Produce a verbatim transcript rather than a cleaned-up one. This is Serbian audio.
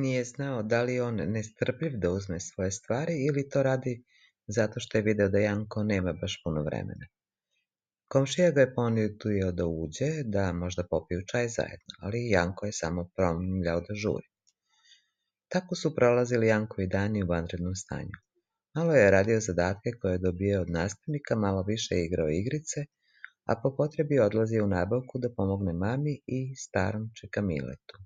Nije znao da li je on nestrpljiv da uzme svoje stvari ili to radi zato što je video da Janko nema baš puno vremena. Komšija ga je ponudio da uđe, da možda popiju čaj zajedno, ali Janko je samo promumljao da žuri. Tako su prolazili Jankovi dani u vanrednom stanju. Malo je radio zadatke koje je dobio od nastavnika, malo više je igrao igrice, a po potrebi odlazio u nabavku da pomogne mami i starom čika Miletu.